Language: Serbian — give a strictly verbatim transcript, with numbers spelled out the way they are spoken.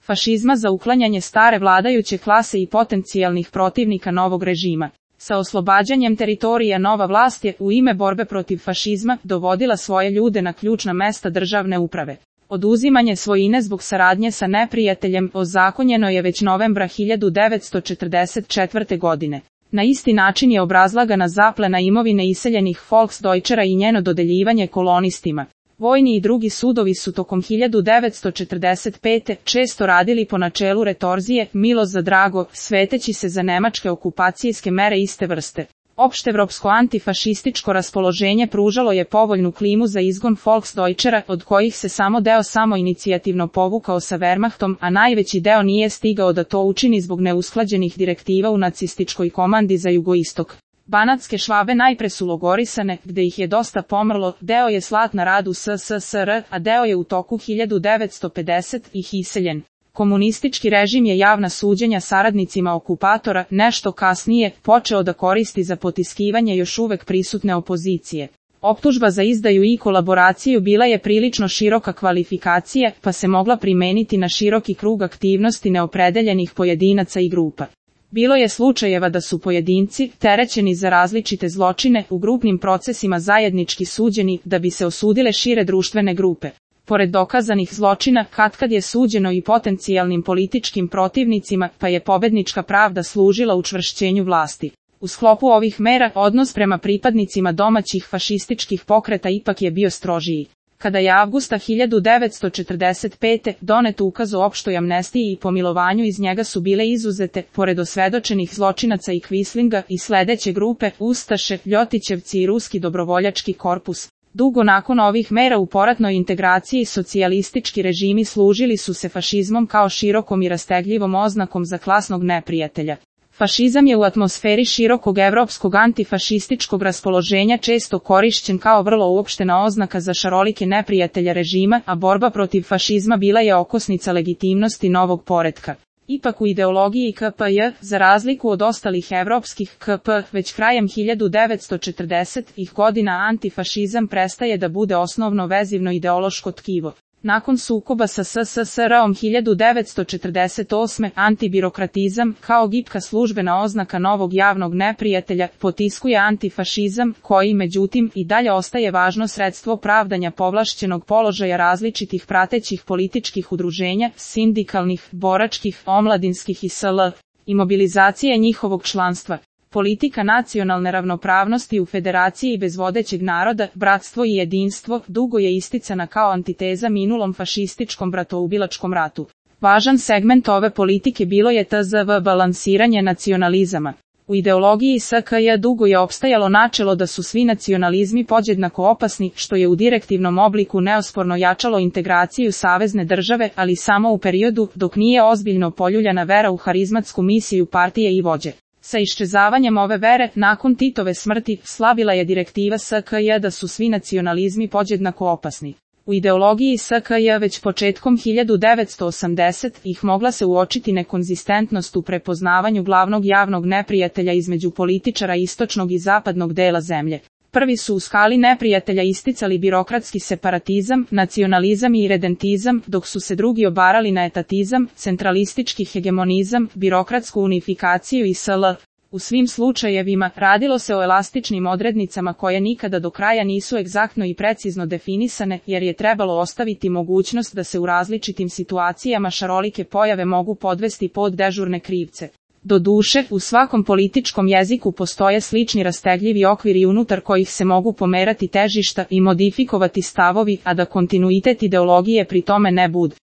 fašizma za uklanjanje stare vladajuće klase i potencijalnih protivnika novog režima. Sa oslobađanjem teritorija nova vlast je, u ime borbe protiv fašizma, dovodila svoje ljude na ključna mesta državne uprave. Oduzimanje svojine zbog saradnje sa neprijateljem ozakonjeno je već novembra hiljadu devetsto četrdeset četvrte. godine. Na isti način je obrazlagana zaplena imovine iseljenih Volksdeutschera i njeno dodeljivanje kolonistima. Vojni i drugi sudovi su tokom hiljadu devetsto četrdeset pete. često radili po načelu retorzije, milost za drago, sveteći se za nemačke okupacijske mere iste vrste. Opštevropsko antifašističko raspoloženje pružalo je povoljnu klimu za izgon Volksdeutschera, od kojih se samo deo samoinicijativno povukao sa Wehrmachtom, a najveći deo nije stigao da to učini zbog neusklađenih direktiva u nacističkoj komandi za jugoistok. Banatske Švabe najpre su logorisane, gde ih je dosta pomrlo, deo je slat na rad u S S S R, a deo je u toku hiljadu devetsto pedesetih ih iseljen. Komunistički režim je javna suđenja saradnicima okupatora, nešto kasnije, počeo da koristi za potiskivanje još uvek prisutne opozicije. Optužba za izdaju i kolaboraciju bila je prilično široka kvalifikacija, pa se mogla primeniti na široki krug aktivnosti neopredeljenih pojedinaca i grupa. Bilo je slučajeva da su pojedinci, terećeni za različite zločine, u grupnim procesima zajednički suđeni, da bi se osudile šire društvene grupe. Pored dokazanih zločina, katkad je suđeno i potencijalnim političkim protivnicima, pa je pobednička pravda služila učvršćenju vlasti. U sklopu ovih mera, odnos prema pripadnicima domaćih fašističkih pokreta ipak je bio strožiji. Kada je avgusta hiljadu devetsto četrdeset pete. donet ukaz o opštoj amnestiji i pomilovanju, iz njega su bile izuzete, pored osvedočenih zločinaca i Quislinga, i sledeće grupe, Ustaše, Ljotićevci i Ruski dobrovoljački korpus. Dugo nakon ovih mera u poratnoj integraciji socijalistički režimi služili su se fašizmom kao širokom i rastegljivom oznakom za klasnog neprijatelja. Fašizam je u atmosferi širokog evropskog antifašističkog raspoloženja često korišćen kao vrlo uopštena oznaka za šarolike neprijatelja režima, a borba protiv fašizma bila je okosnica legitimnosti novog poretka. Ipak u ideologiji K P J, za razliku od ostalih evropskih K P, već krajem hiljadu devetsto četrdesetih godina antifašizam prestaje da bude osnovno vezivno ideološko tkivo. Nakon sukoba sa S S S R-om hiljadu devetsto četrdeset osme. antibirokratizam, kao gipka službena oznaka novog javnog neprijatelja, potiskuje antifašizam, koji međutim i dalje ostaje važno sredstvo pravdanja povlašćenog položaja različitih pratećih političkih udruženja, sindikalnih, boračkih, omladinskih i sl. i mobilizacije njihovog članstva. Politika nacionalne ravnopravnosti u federaciji bez vodećeg naroda, bratstvo i jedinstvo, dugo je isticana kao antiteza minulom fašističkom bratoubilačkom ratu. Važan segment ove politike bilo je tzv. Balansiranje nacionalizama. U ideologiji S K J dugo je opstajalo načelo da su svi nacionalizmi podjednako opasni, što je u direktivnom obliku neosporno jačalo integraciju savezne države, ali samo u periodu dok nije ozbiljno poljuljana vera u harizmatsku misiju partije i vođe. Sa iščezavanjem ove vere, nakon Titove smrti, slabila je direktiva S K J da su svi nacionalizmi podjednako opasni. U ideologiji S K J već početkom hiljadu devetsto osamdesetih mogla se uočiti nekonzistentnost u prepoznavanju glavnog javnog neprijatelja između političara istočnog i zapadnog dela zemlje. Prvi su u skali neprijatelja isticali birokratski separatizam, nacionalizam i redentizam, dok su se drugi obarali na etatizam, centralistički hegemonizam, birokratsku unifikaciju i sl. U svim slučajevima, radilo se o elastičnim odrednicama koje nikada do kraja nisu egzaktno i precizno definisane, jer je trebalo ostaviti mogućnost da se u različitim situacijama šarolike pojave mogu podvesti pod dežurne krivce. Doduše, u svakom političkom jeziku postoje slični rastegljivi okviri unutar kojih se mogu pomerati težišta i modifikovati stavovi, a da kontinuitet ideologije pri tome ne bude.